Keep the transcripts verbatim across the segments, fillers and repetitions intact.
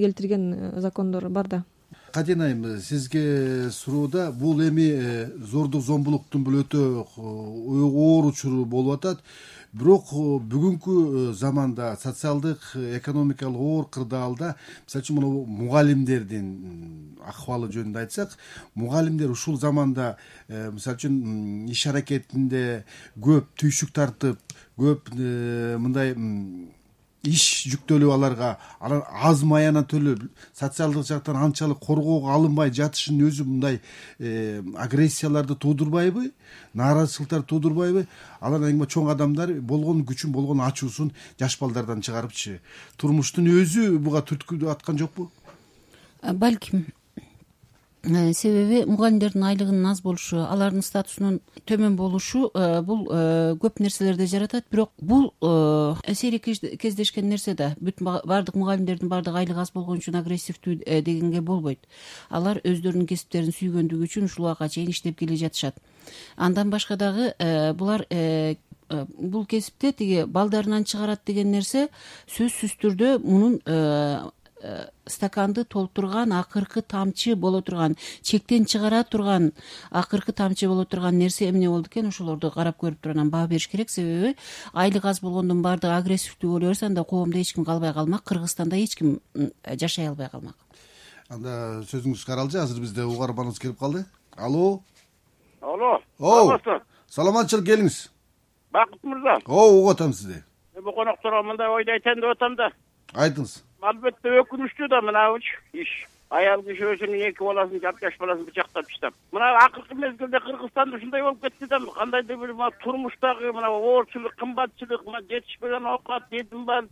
келтирген закондор бар да. Каден айым, сизге суроуда бул эми зордук зомбулуктун бул өтө оор учуру болуп атат. Бирок бүгүнкү заманда социалдык, экономикалык оор кырдаалда, мисалы үчүн мына мугалимдердин акыбалы жөнүндө айтсак, мугалимдер ушул заманда мисалы үчүн иш аракетинде көп түйшүк тартып, көп мындай иш жүктөлүп аларга алар аз маяна төлөп, социалдык жактан анчалык коргоого алынбай жатышынын өзү мындай агрессияларды туудурбайбы, нааразычылыктарды туудурбайбы? Алар эң чоң адамдар болгон күчүн, болгон ачуусун жаш балдардан чыгарыпчы. Турмуштун өзү буга түрткү аткан жокпу? Балким. Себеби мугалимдердин айлыгынын аз болушу, алардын статусунун төмөн болушу бул көп нерселерди жаратат. Бирок бул сейрек кездешкен нерсе да. Бүт бардык мугалимдердин бардык айлыгы аз болгон үчүн агрессивдүү дегенге болбойт. Алар өздөрүнүн кесиптерин сүйгөндүгү үчүн ушул убакка чейин иштеп келе жатышат. Андан башка дагы булар бул кесипте тиги балдарынан чыгарат деген нерсе сөзсүз түрдө мунун стаканды толтурган акыркы тамчы боло турган, чектен чыгара турган акыркы тамчы боло турган нерсе эмне болду экен, ошолорду карап көрүп туруп анан баа бериш керек. Себеби айлык аз болгондун баардыгы агрессивдүү боло берсе, анда коомдо эч ким калбай калмак, Кыргызстанда эч ким жашай албай калмак. Анда сөзүңүз каралжы, азыр бизде угарманыбыз келип калды. Алло. Алло. Саламатчылык, келиңиз. Бакыт мырза. Оо, угуп атам сизди. Бу конокторго мындай ойду айтайын деп атам да. Айтыңыз. Албетте өкүнүчтүү да мынабычы иш. Аял киши өзүнүн эки баласын, жарты жаш баласын бычактап таштап. Мына акыркы мезгилде Кыргызстанда ушундай болуп кетти да, кандайдыр бир турмуштагы мына оорчулук, кымбатчылык, жетишпеген оокат, жетим бала,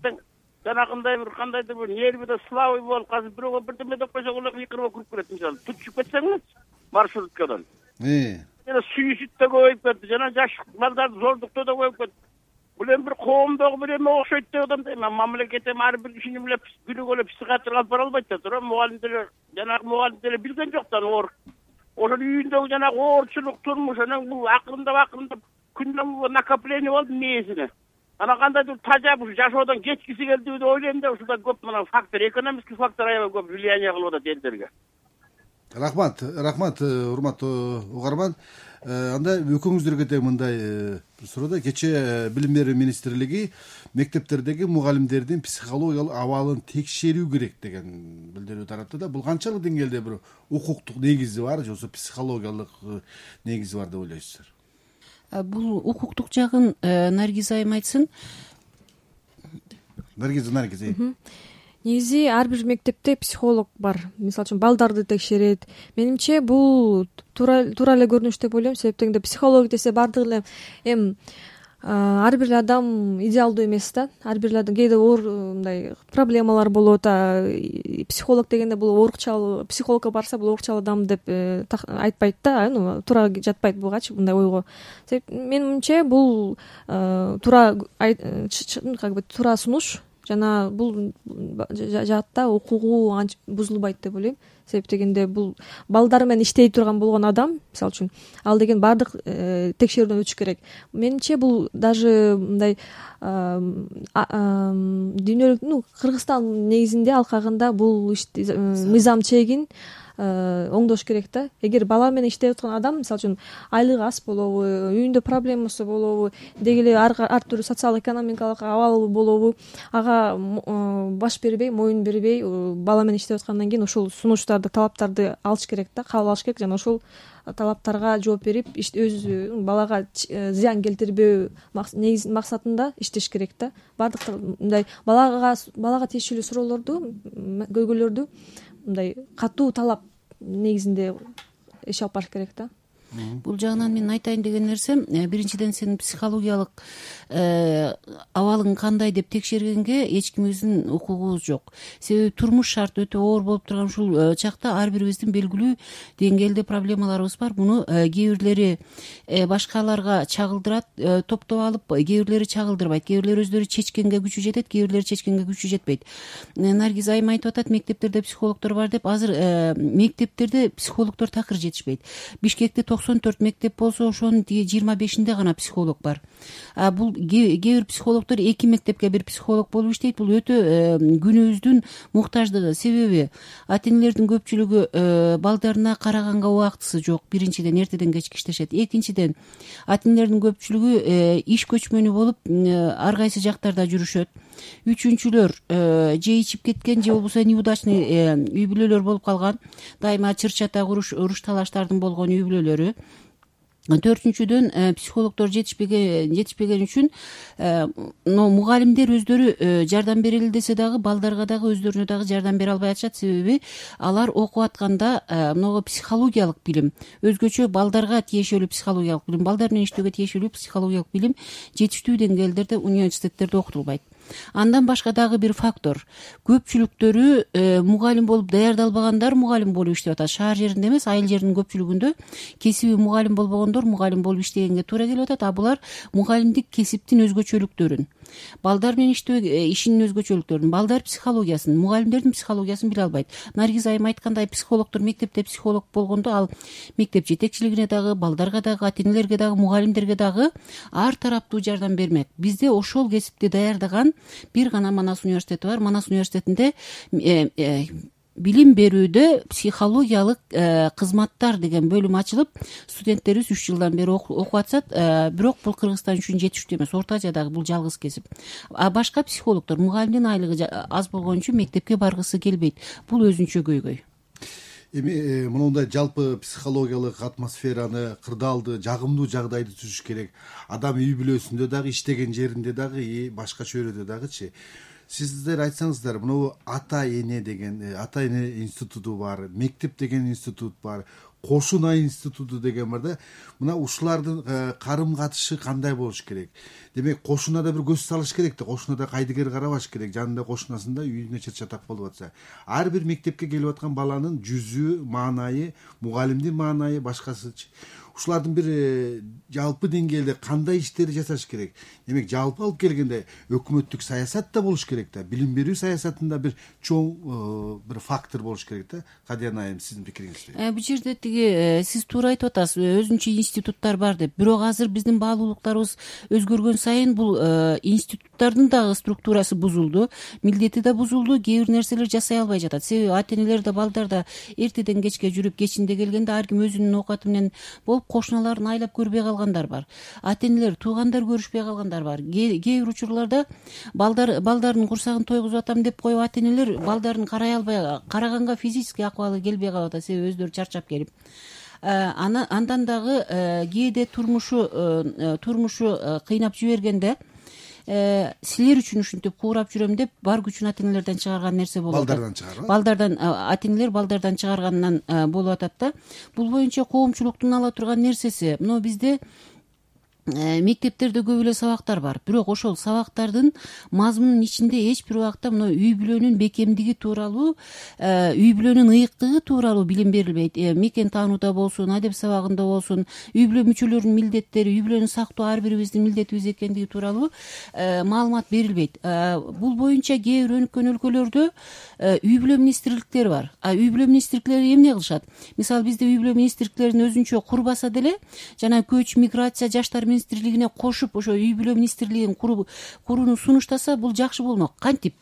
жанагындай бир кандайдыр бир нервиде слабый болуп, азыр бирөөгө бирдеме деп койсок улар кыйкырып кирип келет, мисалы. Түчүп кетсеңиз маршруткадан. Э. Жана суюсит да көбөйүп кетти, жана жаш балдардын зордуктоо да көбөйүп кетти. Бул эми бир коомдогу бир эме окшойт деп атам да. Мамлекет эми ар бир кишини биле күнүгө психиатрга алып бара албайт да. Тура мугалимдер, жанагы мугалимдер билген жок да оор. Ошол үйүндөгү жанагы оорчулук турмуш, анан бул акырындап акырындап күндөн накопление болду мээсине. Анан кандайдыр тажап ушу жашоодон кечкиси келди деп ойлойм да, ушунда көп мына фактор, экономический фактор аябай көп влияние кылып атат элдерге. Рахмат, рахмат, урматтуу угарман. Анда экөөңүздөргө да мындай суроодо, кечээ Билим берүү министрлиги мектептердеги мугалимдердин психологиялык абалын текшерүү керек деген билдирүү таратты да. Бул канчалык деңгээлде бир укуктук негизи бар, же болбосо психологиялык негизи бар деп ойлойсуздар? Бул укуктук жагын Наргиз айым айтсын. Наргиз, Наргиз. Негизи ар бир мектепте психолог бар. Мисалы үчүн балдарды текшерет. Менимче бул туура туура эле көрүнүш деп ойлойм. Себеп дегенде психолог десе бардыгы эле эми ар бир адам идеалдуу эмес да. Ар бир адам кээде оор мындай проблемалар болот. Психолог дегенде бул оорукчал, психологко барса бул оорукчал адам деп айтпайт да. Туура жатпайт бугачы мындай ойго. Себеп менимче бул туура как бы туура сунуш. Жана бул жаатта укугу бузулбайт деп ойлойм. Себеп дегенде бул балдар менен иштей турган болгон адам, мисалы үчүн, ал деген бардык текшерүүдөн өтүш керек. Менимче бул даже мындай дүйнөлүк, ну, Кыргызстан негизинде алкагында бул мыйзам чегин оңдош керек да. Эгер бала менен иштеп аткан адам, мисалы үчүн, айлыгы аз болобу, үйүндө проблемасы болобу, деги эле ар түрдүү социал-экономикалык абалы болобу, ага баш бербей, моюн бербей, бала менен иштеп аткандан кийин ошол сунуштарды, талаптарды алыш керек да, кабыл алыш керек жана ошол талаптарга жооп берип, өз балага зыян келтирбөө негиз максатында иштеш керек да. Бардык мындай балага балага тиешелүү суроолорду, көйгөйлөрдү мындай катуу талап негизинде иш алып барыш керек да. Бул жагынан мен айтайын деген нерсем, биринчиден сенин психологиялык абалың кандай деп текшергенге эч ким өзүнүн укугубуз жок. Себеби турмуш шарт өтө оор болуп турган ушул чакта ар бирибиздин белгилүү деңгээлде проблемаларыбыз бар. Муну кээ бирлери башкаларга чагылдырат, топтоп алып, кээ бирлери чагылдырбайт, кээ бирлери өздөрү чечкенге күчү жетет, кээ бирлери чечкенге күчү жетпейт. Наргиз айым айтып атат, мектептерде психологдор бар деп. Азыр мектептерде психологдор такыр жетишпейт. Бишкекте токсон төрт мектеп болсо ошонун тиги жыйырма бешинде гана психолог бар. А бул кээ бир психологдор эки мектепке бир психолог болуп иштейт. Бул өтө күнүбүздүн муктаждыгы. Себеби ата энелердин көпчүлүгү балдарына караганга убактысы жок. Биринчиден эртеден кечке иштешет. Экинчиден ата энелердин көпчүлүгү иш көчмөнү болуп ар кайсы жактарда жүрүшөт. Үчүнчүлөр же ичип кеткен, же болбосо неудачный үй бүлөлөр болуп калган, дайыма чыр-чатак уруш уруш талаштардын болгон үй бүлөлөрү. Төртүнчүдөн психологдор жетишпеген жетишпеген үчүн мугалимдер өздөрү жардам берели десе дагы балдарга дагы өздөрүнө дагы жардам бере албай атышат. Себеби алар окуп атканда могу психологиялык билим, өзгөчө балдарга тиешелүү психологиялык билим, балдар менен иштөөгө тиешелүү психологиялык билим жетиштүү деңгээлдерде университеттерде окутулбайт. Андан башка дагы бир фактор, көпчүлүктөрү мугалим болуп даярдалбагандар мугалим болуп иштеп атат. Шаар жеринде эмес, айыл жеринин көпчүлүгүндө кесиби мугалим болбогондор мугалим болуп иштегенге туура келип атат. А булар мугалимдик кесиптин өзгөчөлүктөрүн, балдар менен иштөө ишинин өзгөчөлүктөрүн, балдар психологиясын, мугалимдердин психологиясын биле албайт. Наргиз айым айткандай, психологдор мектепте психолог болгондо ал мектеп жетекчилигине дагы, балдарга дагы, ата энелерге дагы, мугалимдерге дагы ар тараптуу жардам бермек. Бизде ошол кесипти даярдаган бир гана Манас университети бар. Манас университетинде билим берүүдө психологиялык кызматтар деген бөлүм ачылып, студенттерибиз үч жылдан бери окуп атышат. Бирок бул Кыргызстан үчүн жетиштүү эмес. Орто Азиядагы бул жалгыз кесип. А башка психологдор мугалимдин айлыгы аз болгон үчүн мектепке баргысы келбейт. Бул өзүнчө көйгөй. Эми мондай жалпы психологиялык атмосфераны, кырдаалды, жагымдуу жагдайды түзүш керек. Адам үй бүлөсүндө дагы, иштеген жеринде дагы, башка чөйрөдө дагычы. Сиздер айтсаңыздар, мына ата эне деген, ата эне институту бар, мектеп деген институт бар, кошун ай институту деген бар да. Мына ушулардын карым катышы кандай болуш керек? Демек, кошунада бир көз салыш керек да, кошунада кайдыгер карабаш керек. Жанында кошунасында үйүнө чыр-чатак болуп атса. Ар бир мектепке келип аткан баланын жүзү, маанайы, мугалимдин маанайы башкасычы. Ушулардын бир жалпы деңгээлде кандай иштерди жасаш керек? Демек, жалпы алып келгенде өкмөттүк саясат да болуш керек да, билим берүү саясатында бир чоң бир фактор болуш керек да. Кадиян айым, сиздин пикириңизчи? Бул жерде тиги сиз туура айтып атасыз, өзүнчө институттар бар деп. Бирок азыр биздин баалуулуктарыбыз өзгөргөн сайын бул институттардын дагы структурасы бузулду, милдети да бузулду, кээ бир нерселер жасай албай жатат. Себеби ата энелер да, балдар да эртеден кечке жүрүп, кечинде келгенде ар ким өзүнүн оокаты менен болуп, кошуналарын айлап көрбөй калгандар бар. Ата энелер, туугандар көрүшпөй калгандар бар. Кээ бир учурларда балдар балдардын курсагын тойгузуп атам деп коюп, ата энелер балдарын карай албай, караганга физический акыбалы келбей калып атат. Себеби өздөрү чарчап келип. Андан дагы кээде турмушу турмушу кыйнап жибергенде, силер үчүн ушинтип куурап жүрөм деп бар күчүн ата энелерден чыгарган нерсе болуп атат. Балдардан чыгарган. Балдардан, ата энелер балдардан чыгаргандан болуп атат да. Бул боюнча коомчулуктун ала турган нерсеси, мына бизде мектептерде көп эле сабактар бар. Бирок ошол сабактардын мазмунунун ичинде эч бир убакта мына үй бүлөнүн бекемдиги тууралуу, үй бүлөнүн ыйыктыгы тууралуу билим берилбейт. Мекен таанууда болсун, адеп сабагында болсун, үй бүлө мүчөлөрүнүн милдеттери, үй бүлөнү сактоо ар бирибиздин милдетибиз экендиги тууралуу маалымат берилбейт. Бул боюнча кээ бир өнүккөн өлкөлөрдө үй бүлө министрликтери бар. А үй бүлө министрликтери эмне кылышат? Мисалы, бизде үй бүлө министрликтерин өзүнчө курбаса деле, жана көч, миграция, жаштар министрлигине кошуп ошо үй бүлө министрлигин курууну сунуштаса, бул жакшы болмок. Кантип?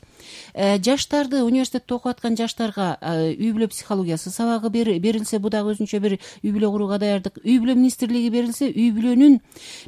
Жаштарды, университетте окуп аткан жаштарга үй бүлө психологиясы сабагы берилсе, бу дагы өзүнчө бир үй бүлө курууга даярдык. Үй бүлө министрлиги берилсе, үй бүлөнүн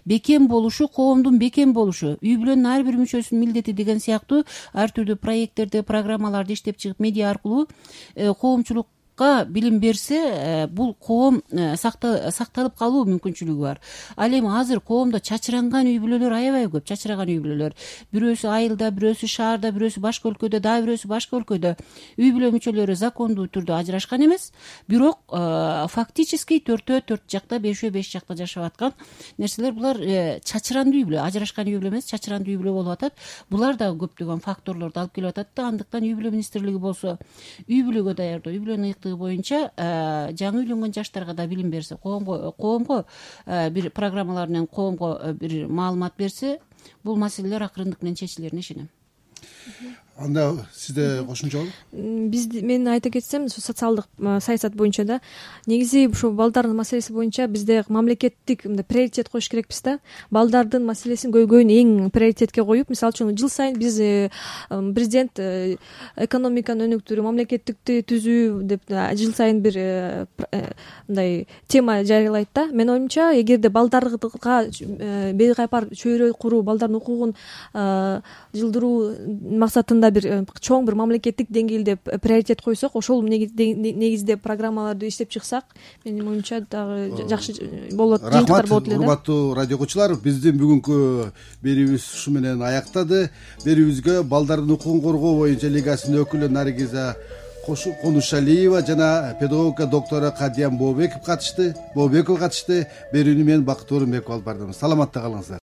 бекем болушу, коомдун бекем болушу, үй бүлөнүн ар бир мүчөсүнүн милдети деген сыяктуу ар түрдүү проекттерди, программаларды иштеп чыгып, медиа аркылуу коомчулук билим берсе, бул коом сакталып калуу мүмкүнчүлүгү бар. Ал эми азыр коомдо чачыранган үй бүлөлөр аябай көп, чачыраган үй бүлөлөр. Бирөөсү айылда, бирөөсү шаарда, бирөөсү башка өлкөдө, дагы бирөөсү башка өлкөдө. Үй бүлө мүчөлөрү закондуу түрдө ажырашкан эмес, бирок фактически төртөө төрт жакта, бешөө беш жакта жашап аткан нерселер. Булар чачырандуу үй бүлө, ажырашкан үй бүлө эмес, чачырандуу үй бүлө болуп атат. Булар дагы көптөгөн факторлорду алып келип атат да. Андыктан үй бүлө министрлиги болсо, үй бүлөгө даярдоо, үй бүлөнүн ыйыктыгы боюнча жаңы үйлөнгөн жаштарга да билим берсе, коомго коомго бир программалар менен коомго бир маалымат берсе, бул маселелер акырындык менен чечилерине ишенем. анда сизде кошумча болу? Биз мен айта кетсем социалдык саясат боюнча да негизи ушул балдардын маселеси боюнча бизде мамлекеттик мындай приоритет коюш керекпиз да. Балдардын маселесин көйгөйүн эң приоритетке коюп, мисалы үчүн жыл сайын биз президент экономиканы өнүктүрүү, мамлекеттикти түзүү деп жыл сайын бир мындай тема жарыялайт да. Менин оюмча, эгерде балдарга бейкайпар чөйрө куруу, балдардын укугун жылдыруу максатында бир чоң бир мамлекеттик деңгээлде приоритет койсок, ошол негизде программаларды иштеп чыксак, менин оюмча дагы жакшы болот, жыйынтыктар болот эле да. Урматтуу радио окуучулар, биздин бүгүнкү берүүбүз ушу менен аяктады. Берүүбүзгө балдардын укугун коргоо боюнча лигасынын өкүлү Наргиза Конушалиева жана педагогика доктору Кадиям Бообеков катышты. Бообеков катышты. Берүүнү мен Бакыт Орунбеков алып бардым. Саламатта калыңыздар.